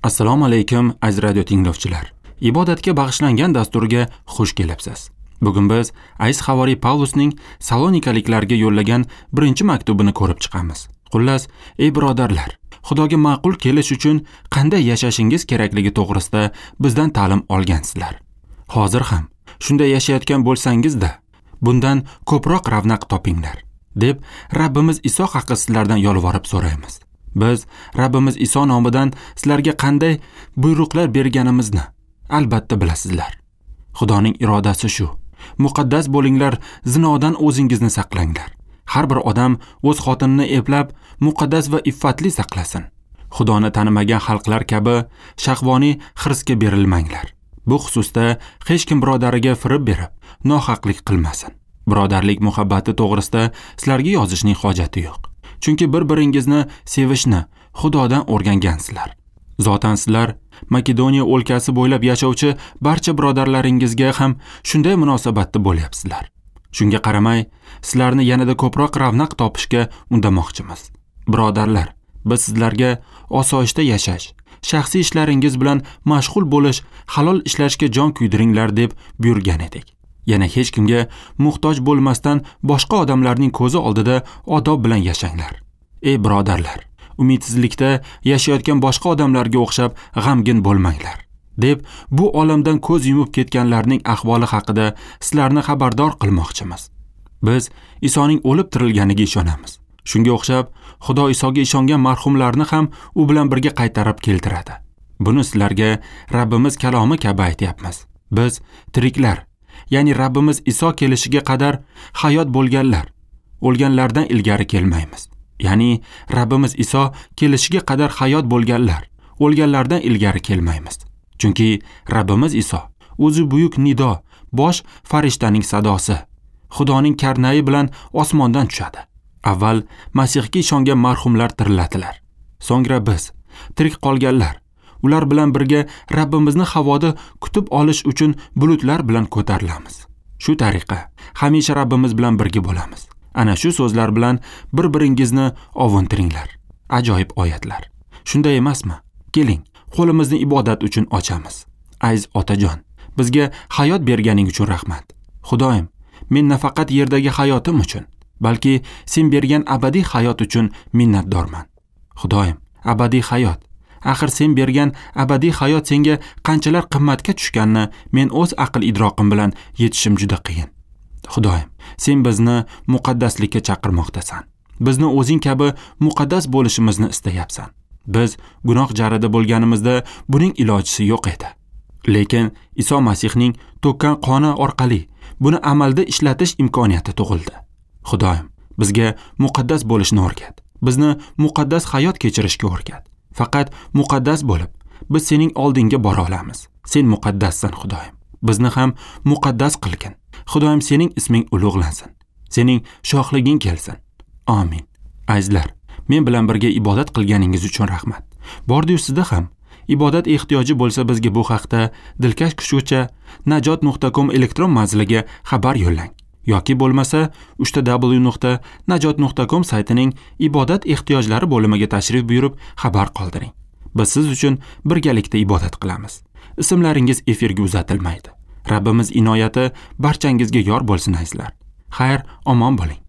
Assalomu alaykum aziz radio tinglovchilar. Ibodatga bag'ishlangan dasturga xush kelibsiz. Bugun biz aziz havoriy Pavlusning Salonikaliklarga yo'llagan birinchi maktubini ko'rib chiqamiz. Xullas, ey birodarlar, Xudoga ma'qul kelish uchun qanday yashashingiz kerakligi to'g'risida bizdan ta'lim olgansizlar. Hozir ham shunday yashayotgan bo'lsangiz-da, bundan ko'proq ravnaq topinglar, deb Rabbimiz Iso haqi sizlardan yolvorib so'raymiz. Biz Rabbimiz Iso nomidan sizlarga qanday buyruqlar berganimizni albatta bilasizlar. Xudoning irodasi shu. Muqaddas bo'linglar, zinodan o'zingizni saqlanglar. Har bir odam o'z xotinini eplab, muqaddas va iffatli saqlasin. Xudoni tanimagan xalqlar kabi shahvoniy hirsga berilmanglar. Bu xususda hech kim birodariga firib berib, nohaqlik qilmasin. Birodarlik muhabbati to'g'risida sizlarga yozishning hojati yo'q. Chunki bir-biringizni sevishni Xudodan o'rgangansizlar. Zotan sizlar Makedoniya o'lkasi bo'ylab yashovchi barcha birodarlaringizga ham shunday munosabatda bo'lyapsizlar. Shunga qaramay, sizlarni yanada ko'proq ravnaq topishga undamoqchimiz. Birodarlar, biz sizlarga osoyishta yashash, shaxsiy ishlaringiz bilan mashg'ul bo'lish, halol ishlashga jon kuydiringlar deb buyurgan edik. Yana hech kimga muhtoj bo'lmasdan boshqa odamlarning ko'zi oldida odob bilan yashanglar. Ey birodarlar, umidsizlikda yashayotgan boshqa odamlarga o'xshab g'amgin bo'lmanglar, deb bu olamdan ko'z yumib ketganlarning ahvoli haqida sizlarni xabardor qilmoqchimiz. Biz Isoning o'lib tirilganiga ishonamiz. Shunga o'xshab, Xudo Isoga ishongan marhumlarni ham u bilan birga qaytarib keltiradi. Buni sizlarga Rabbimiz kalomi kabi aytyapmiz. Biz tiriklar, ya'ni Rabbimiz Iso kelishiga qadar hayot bo'lganlar, o'lganlardan ilgari kelmaymiz. Ya'ni Rabbimiz Iso kelishiga qadar hayot bo'lganlar, o'lganlardan ilgari kelmaymiz. Chunki Rabbimiz Iso o'zi buyuk nido, bosh farishtaning sadosi, Xudoning karnayi bilan osmondan tushadi. Avval Masihga ishongan marhumlar tiriladilar. So'ngra biz, tirik qolganlar, ular bilan birga Rabbimizni havoda kutib olish uchun bulutlar bilan ko'tarilamiz. Shu tariqa hamisha Rabbimiz bilan birga bo'lamiz. Ana shu so'zlar bilan bir-biringizni ovuntiringlar. Ajoyib oyatlar. Shunday emasmi? Keling, qo'limizni ibodat uchun ochamiz. Aziz otajon, bizga hayot berganing uchun rahmat. Xudoyim, men nafaqat yerdagi hayotim uchun, balki sen bergan abadiy hayot uchun minnatdorman. Xudoyim, abadiy hayot. Axir sen bergan abadiy hayot senga qanchalar qimmatga tushganini men o'z aql idroqim bilan yetishim juda qiyin. Xudoyim, sen bizni muqaddaslikka chaqirmoqdasan. Bizni o'zing kabi muqaddas bo'lishimizni istayapsan. Biz gunoh jarida bo'lganimizda buning ilojisi yo'q edi. Lekin Iso Masihning to'kkan qoni orqali buni amalda ishlatish imkoniyati tug'ildi. Xudoyim, bizga muqaddas bo'lishni o'rgat. Bizni muqaddas hayot kechirishga o'rgat. Faqat muqaddas bo'lib, biz sening oldingga bora olamiz. Sen muqaddassan, Xudoyim. Bizni ham muqaddas qilgin. Xudoyim, sening isming ulug'lansin. Sening shohliging kelsin. Amin. Azizlar, men bilan birga ibodat qilganingiz uchun rahmat. Bordi-yu sizda ham ibodat ehtiyoji bo'lsa, bizga bu haqda dilkash kuchgacha najot.com elektron manziliga xabar yo'llang. Yoki bo'lmasa www.najot.com saytining ibodat ehtiyojlari bo'limiga tashrif buyurib xabar qoldiring. Biz siz uchun birgalikda ibodat qilamiz. Ismlaringiz efirga uzatilmaydi. Rabbimiz inoyati barchangizga yor bo'lsin azizlar. Xayr, omon bo'ling.